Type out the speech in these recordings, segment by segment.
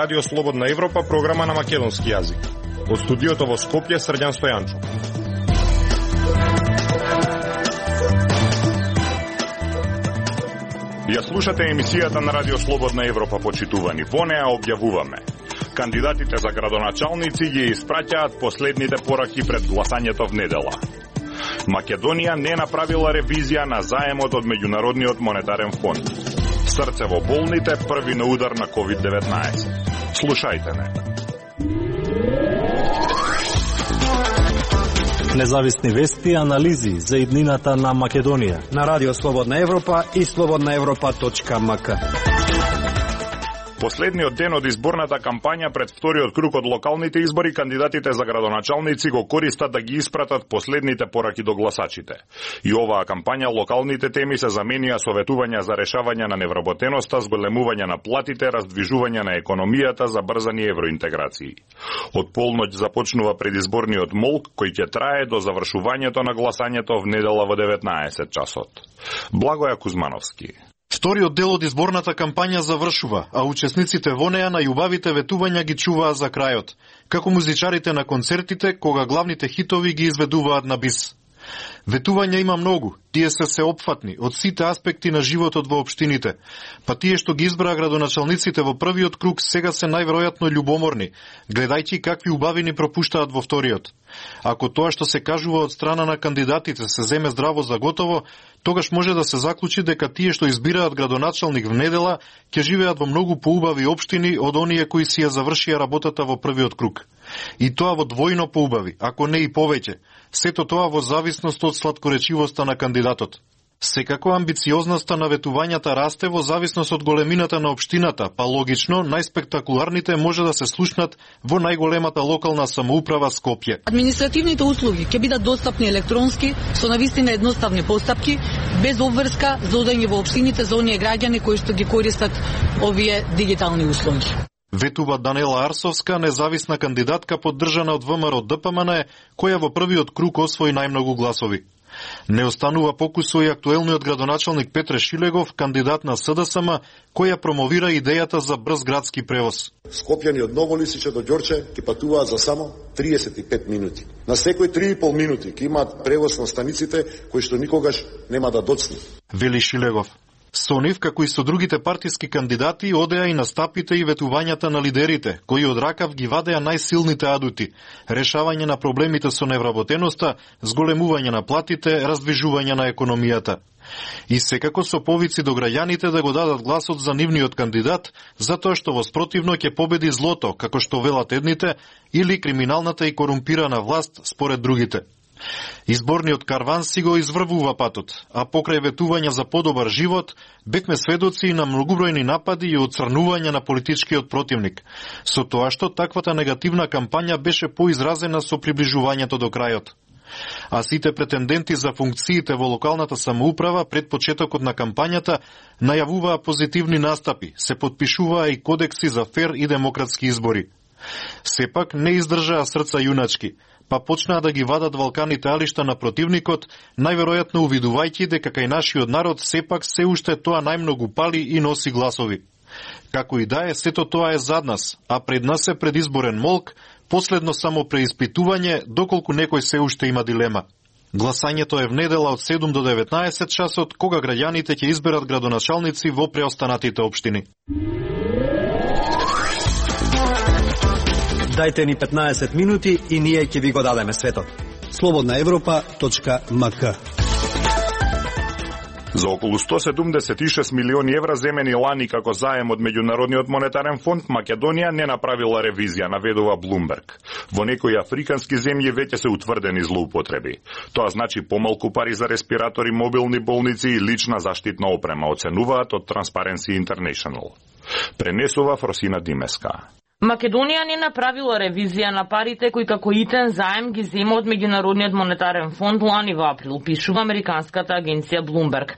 Радио Слободна Европа, програма на македонски јазик. Од студиото во Скопје, Срđan Стојанчов. Ја слушате емисијата на Радио Слободна Европа, почитувани. Во неа објавуваме: кандидатите за градоначалници ги испраќаат последните пораки пред гласањето в недела. Македонија не направила ревизија на заемот од Меѓународниот монетарен фонд. Срце во болните, први на удар на COVID-19. Слушајте ме. Независни вести и анализи за иднината на Македонија на Радио Слободна Европа и slobodnaevropa.mk. Последниот ден од изборната кампања пред вториот круг од локалните избори, кандидатите за градоначалници го користат да ги испратат последните пораки до гласачите. И оваа кампања локалните теми се заменија со ветувања за решавање на невработеноста, зголемување на платите, раздвижување на економијата, забрзани евроинтеграции. Од полноќ започнува предизборниот молк, кој ќе трае до завршувањето на гласањето в недела во 19 часот. Благоја Кузмановски. Вториот дел од изборната кампања завршува, а учесниците во неа најубавите ветувања ги чуваа за крајот, како музичарите на концертите кога главните хитови ги изведуваат на бис. Ветувања има многу, тие се сеопфатни од сите аспекти на животот во општините, па тие што ги избраа градоначалниците во првиот круг сега се најверојатно љубоморни, гледајќи какви убавини пропуштаат во вториот. Ако тоа што се кажува од страна на кандидатите се земе здраво за готово, тогаш може да се заклучи дека тие што избираат градоначалник в недела ќе живеат во многу поубави општини од оние кои си ја завршија работата во првиот круг. И тоа во двојно поубави, ако не и повеќе. Сето тоа во зависност од сладкоречивоста на кандидатот. Секако амбициозноста на ветувањата расте во зависност од големината на општината, па логично најспектакуларните може да се слушнат во најголемата локална самоуправа Скопје. Административните услуги ќе бидат достапни електронски со навистина едноставни постапки, без обврска за одење во општините за оние граѓани кои што ги користат овие дигитални услуги. Ветува Данела Арсовска, независна кандидатка поддржана од ВМРО ДПМН, која во првиот круг освои најмногу гласови. Не останува покусо и актуелниот градоначалник Петре Шилегов, кандидат на СДСМ, која промовира идејата за брз градски превоз. Скопјани од Ново Лисиче до Ѓорче ќе патуваат за само 35 минути. На секој 3,5 минути ќе имаат превоз на станиците кои што никогаш нема да доцни. Вели Шилегов. Со нив, како и со другите партиски кандидати, одеа и настапите и ветувањата на лидерите, кои од ракав ги вадеа најсилните адути: решавање на проблемите со невработеноста, зголемување на платите, раздвижување на економијата. И секако со повици до граѓаните да го дадат гласот за нивниот кандидат, затоа што во спротивно ќе победи злото, како што велат едните, или криминалната и корумпирана власт според другите. Изборниот карван си го изврвува патот, а покрај ветувања за подобар живот, бевме сведоци на многубројни напади и оцрнување на политичкиот противник, со тоа што таквата негативна кампања беше поизразена со приближувањето до крајот. А сите претенденти за функциите во локалната самоуправа пред почетокот на кампањата најавуваа позитивни настапи, се подпишуваа и кодекси за фер и демократски избори. Сепак не издржаа срца јуначки, па почнаа да ги вадат валканите алишта на противникот, најверојатно увидувајќи дека кај нашиот народ сепак се уште тоа најмногу пали и носи гласови. Како и да е, сето тоа е зад нас, а пред нас е предизборен молк, последно само преиспитување, доколку некој се уште има дилема. Гласањето е в недела од 7 до 19 часот, кога граѓаните ќе изберат градоначалници во преостанатите општини. Дајте ни 15 минути и ние ќе ви го дадеме светот. slobodnaevropa.mk. За околу 176 милиони евра земени лани како заем од Меѓународниот монетарен фонд, Македонија не направила ревизија, наведува Блумберг. Во некои африкански земји веќе се утврдени злоупотреби. Тоа значи помалку пари за респиратори, мобилни болници и лична заштитна опрема, оценуваат од Transparency International. Пренесува Фросина Димеска. Македонија не направила ревизија на парите кои како итен заем ги зема од Меѓународниот монетарен фонд лани во април, пишува американската агенција Bloomberg.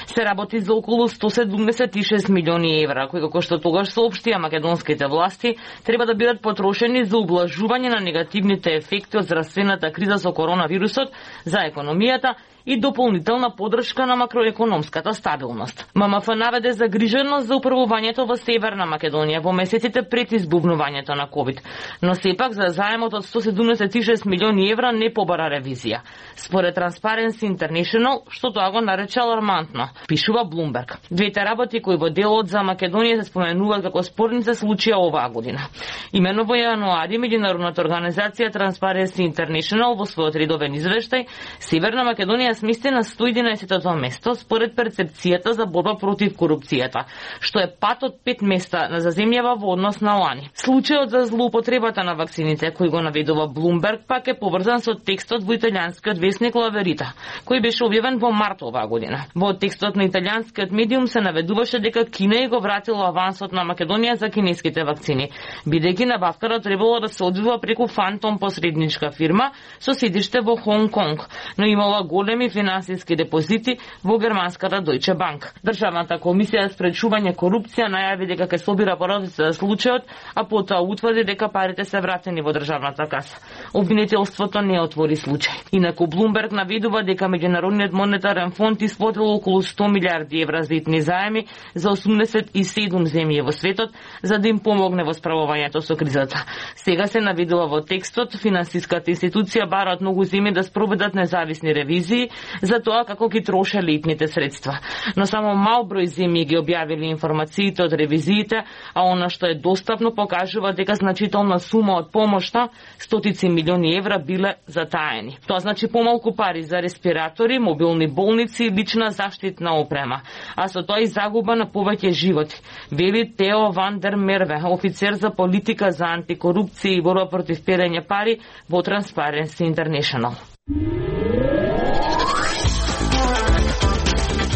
Се работи за околу 176 милиони евра, кои како што тогаш соопштија македонските власти, треба да бидат потрошени за ублажување на негативните ефекти од здравствената криза со коронавирусот за економијата и дополнителна поддршка на макроекономската стабилност. ММФ наведе загриженост за управувањето во Северна Македонија во месеците пред избувнувањето на ковид, но сепак за заемот од 176 милиони евра не побара ревизија. Според Transparency International, што тоа го нарече алармантно, пишува Bloomberg. Двете работи кои во делот за Македонија се споменуваат како спорни се случија оваа година. Имено во јануари меѓународната организација Transparency International во својот редовен извештај Северна Македонија смести на 111-то место според перцепцијата за борба против корупцијата, што е пат од 5 места на земјава во однос на лани. Случајот за злоупотребата на вакцините кој го наведува Bloomberg пак е поврзан со текстот во италијанскиот весник La Verità, кој беше објавен во март оваа година. Во текстот на италијанскиот медиум се наведуваше дека Кина ја го вратила авансот на Македонија за кинеските вакцини, бидејќи набавката требало да се одвива преку фантом посредничка фирма со седиште во Хонг Конг, но имала големи финансиски депозити во германската Deutsche Bank. Државната комисија за спречување корупција најави дека ќе собира пародите за случајот, а потоа утврди дека парите се вратени во државната каса. Обвинителството не отвори случај. Инаку Bloomberg наведува дека Меѓународниот монетарен фонд исплатил околу 100 милиарди евра за итни заеми за 87 земји во светот за да им помогне во справувањето со кризата. Сега се наведува во текстот финансиската институција бара од многу земји да спроведат независни ревизии за тоа како ги трошеле итните средства. Но само мал број земји ги објавили информациите од ревизиите, а она што е достапно покажува дека значителна сума од помошта, стотици милиони евра, биле затаени. Тоа значи помалку пари за респиратори, мобилни болници и лична заштитна опрема, а со тоа и загуба на повеќе животи, вели Тео Ван дер Мерве, офицер за политика за антикорупција и борба против перење пари во Transparency International.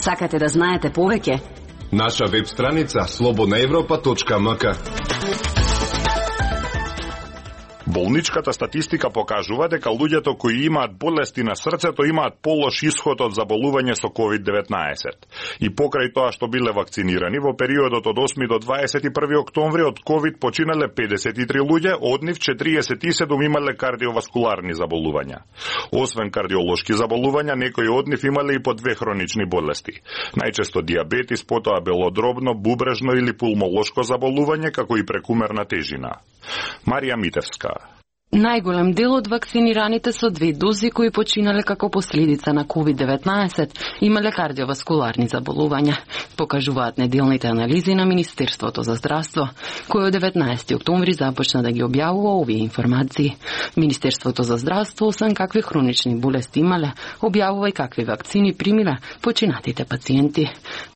Сакате да знаете повеќе? Наша веб страница slobodnaevropa.mk. Болничката статистика покажува дека луѓето кои имаат болести на срцето имаат полош исход од заболување со COVID-19. И покрај тоа што биле вакцинирани, во периодот од 8 до 21 октомври од COVID починале 53 луѓе, од нив 47 имале кардиоваскуларни заболувања. Освен кардиолошки заболувања, некои од нив имале и по 2 хронични болести. Најчесто диабетис, потоа белодробно, бубрежно или пулмолошко заболување, како и прекумерна тежина. Марија Митевска. Најголем дел од вакцинираните со 2 дози кои починале како последица на COVID-19 имале кардиоваскуларни заболувања, покажуваат неделните анализи на Министерството за здравство, кој од 19 октомври започна да ги објавува овие информации. Министерството за здравство, освен какви хронични болести имале, објавува и какви вакцини примиле починатите пациенти.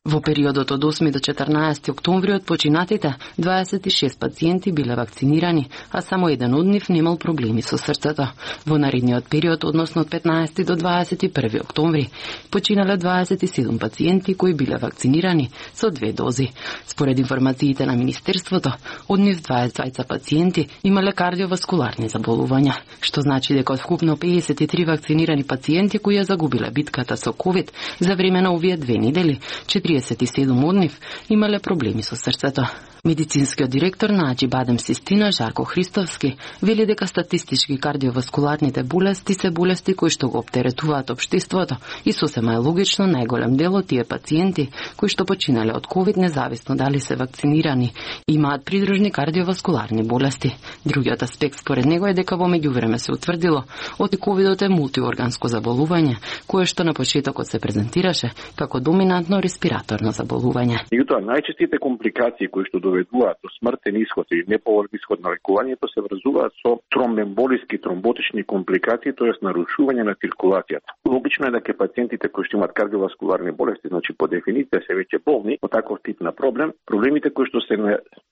Во периодот од 8 до 14 октомври од починатите 26 пациенти биле вакцинирани, а само еден од нив немал проблеми со срцето. Во наредниот период, односно од 15 до 21 октомври, починале 27 пациенти кои биле вакцинирани со 2 дози. Според информациите на Министерството, од нив 20 пациенти имале кардиоваскуларни заболувања, што значи дека од вкупно 53 вакцинирани пациенти кои ја загубиле битката со COVID за време на овие 2 недели, 47 од нив имале проблеми со срцето. Медицинскиот директор на Аџибадем Систина, Жарко Христовски, вели дека статистички кардиоваскуларните болести се болести кои што го оптеретуваат општеството и сосема е логично најголем дел од тие пациенти кои што починале од COVID, независно дали се вакцинирани, имаат придружни кардиоваскуларни болести. Другиот аспект според него е дека во меѓувреме се утврдило од COVID-от е мултиорганско заболување, кое што на почетокот се презентираше како доминантно респираторно заболување. Меѓутоа, најчестите компликации кои што доведуваат до смртен исход или неповолен исход на лекувањето се врзуваат со тромбемболиски тромботични компликации, тоест нарушување на циркулацијата. Логично е дека пациентите кои што имаат кардиоваскуларни болести, значи по дефиниција се веќе болни од таков тип на проблем, проблемите кои што се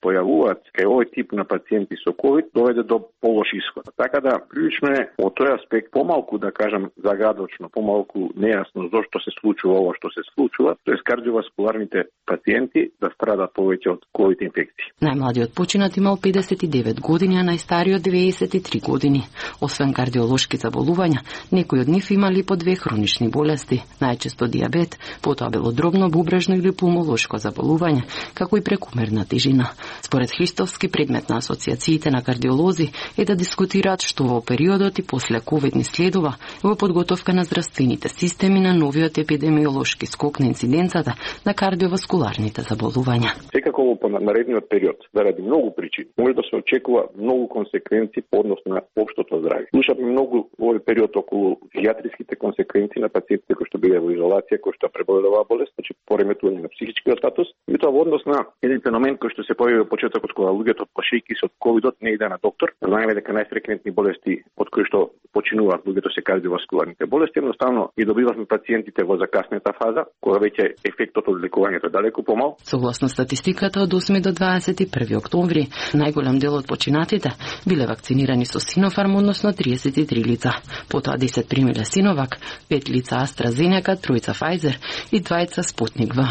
појавуваат кај овој тип на пациенти со COVID доведе до полош исход. Така да прилично е од тој аспект помалку, да кажам, загадочно, помалку нејасно зошто се случува ова што се случува, тоест кардиоваскуларните пациенти да страдат повеќе од COVID инфекции. Најмладиот починат имал 59 години, а најстариот 93 години. Освен кардиолошки заболувања, некои од нив имали по 2 хронични болести, најчесто дијабет, потоа белодробно, бубрежно или пулмолошко заболување, како и прекумерна тежина. Според Христовски, предмет на асоциациите на кардиолози е да дискутираат што во периодот и после ковид ни следува во подготовка на здравствените системи на новиот епидемиолошки скок на инциденцата на кардиоваскуларните заболувања. Секако во наредниот период, заради многу причини, може да се очекува многу консеквенции по однос на општото здравје. Слушавме многу во овој период околу психијатриските консеквенции на пациентите кои што биле во изолација, кои што преболеле оваа болест, значи пореметување на психичкиот статус, и тоа во однос на еден феномен кој што се појави во почетокот кога луѓето плашејќи се од ковидот не иде на доктор. Знаеме дека најфреквентни болести од кои што починуваат луѓето се кардиоваскуларните болести, едноставно ги добивавме пациентите во закаснета фаза, кога веќе ефектот од лекувањето е далеку помал. Согласно статистиката од 8 до 21 октомври, најголем дел од починатите биле вакцинирани со Синофарм, односно 33 лица. Потоа 10 примиле Синовак, 5 лица AstraZeneca, 3 Pfizer и 2 Спутник В.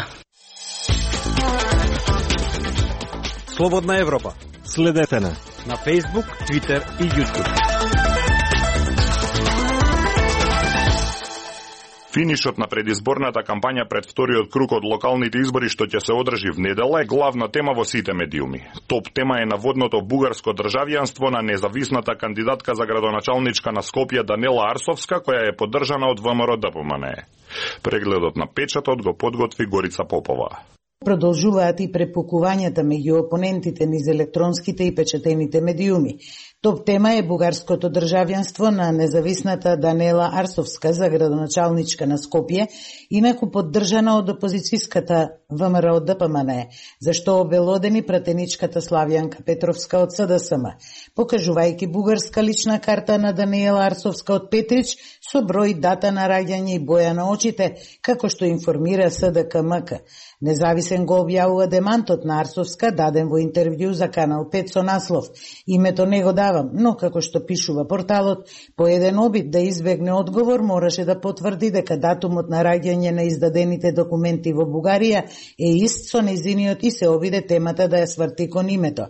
Слободна Европа. Следете на Facebook, Twitter и YouTube. Финишот на предизборната кампања пред вториот круг од локалните избори што ќе се одржи в недела е главна тема во сите медиуми. Топ тема е наводното бугарско државјанство на независната кандидатка за градоначалничка на Скопје Данела Арсовска, која е поддржана од ВМРО-ДПМНЕ. Прегледот на печатот го подготви Горица Попова. Продолжуваат и препукувањата меѓу опонентите низ електронските и печатените медиуми. Топ тема е бугарското државјанство на независната Данела Арсовска за градоначалничка на Скопје, инаку поддржана од опозицијската ВМРО-ДПМНЕ, зашто обелодени пратеничката Славјанка Петровска од СДСМ, покажувајќи бугарска лична карта на Данела Арсовска од Петрич со број, дата на раѓање и боја на очите, како што информира СДКМК. Независен го објавува демантот на Арсовска, даден во интервју за Канал 5 со наслов "Името не го давам", но како што пишува порталот, по еден обид да избегне одговор мораше да потврди дека датумот на раѓање на издадените документи во Бугарија е ист со нејзиниот и се обиде темата да ја сврти кон името.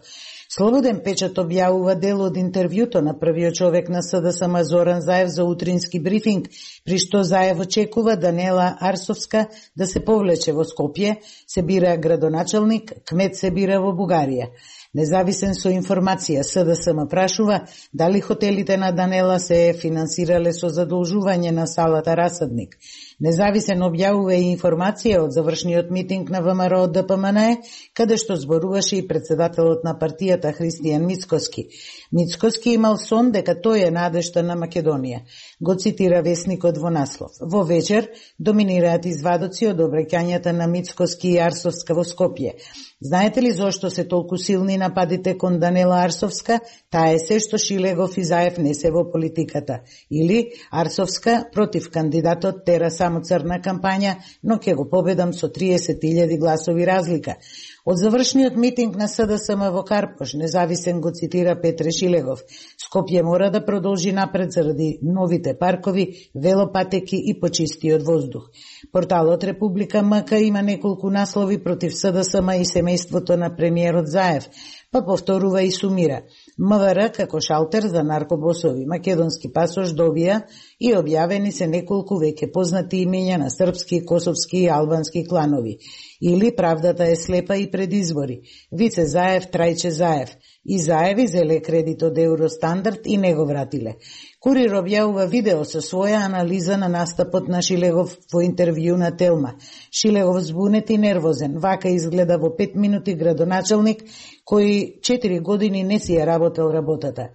Слободен печат објавува дел од интервјуто на првиот човек на СДСМ Зоран Заев за утрински брифинг, при што Заев очекува Данела Арсовска да се повлече во Скопје, се бира градоначалник, кмет се бира во Бугарија. Независен со информација, СДСМ прашува дали хотелите на Данела се финансирале со задолжување на салата Расадник. Независен објавува и информација од завршниот митинг на ВМРО-ДПМНЕ, каде што зборуваше и председателот на партијата Христијан Мицкоски. Мицкоски имал сон дека тој е надежта на Македонија. Го цитира весникот во наслов. Во вечер доминираат извадоци од обраќањата на Мицкоски и Арсовска во Скопје. Знаете ли зошто се толку силни нападите кон Данела Арсовска? Таа е се што Шилегов и Заев не се во политиката. Или Арсовска против кандидатот тера само црна кампања, но ќе го победам со 30.000 гласови разлика. Од завршниот митинг на СДСМ во Карпош, независен го цитира Петре Шилегов. Скопје мора да продолжи напред заради новите паркови, велопатеки и почистиот воздух. Порталот Република МК има неколку наслови против СДСМ и семејството на премиерот Заев, па повторува и сумира. МВР како шалтер за наркобосови македонски пасош добија и објавени се неколку веќе познати имења на српски, косовски и албански кланови. Или правдата е слепа и пред избори. Вице Заев, Трајче Заев. И Заеви зеле кредит од Евростандард и не го вратиле. Курир објавува видео со своја анализа на настапот на Шилегов во интервју на Телма. Шилегов збунет и нервозен. Вака изгледа во 5 минути градоначалник кој 4 години не си ја работел работата.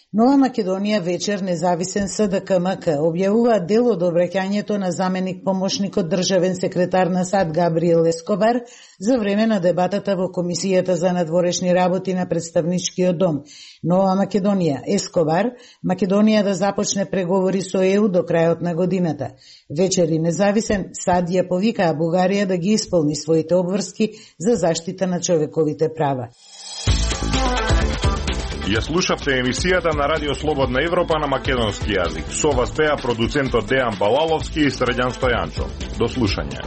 Нова Македонија вечер независен СДКМК објавува дел од обраќањето на заменик помошникот државен секретар на САД Габриел Ескобар за време на дебатата во Комисијата за надворешни работи на Представничкиот дом. Нова Македонија, Ескобар, Македонија да започне преговори со ЕУ до крајот на годината. Вечер и независен САД ја повикаа Бугарија да ги исполни своите обврски за заштита на човековите права. Ја слушавте емисијата на Радио Слободна Европа на македонски јазик. Со вас беа продуцентот Дејан Балаловски и Средјан Стојанчо. До слушање.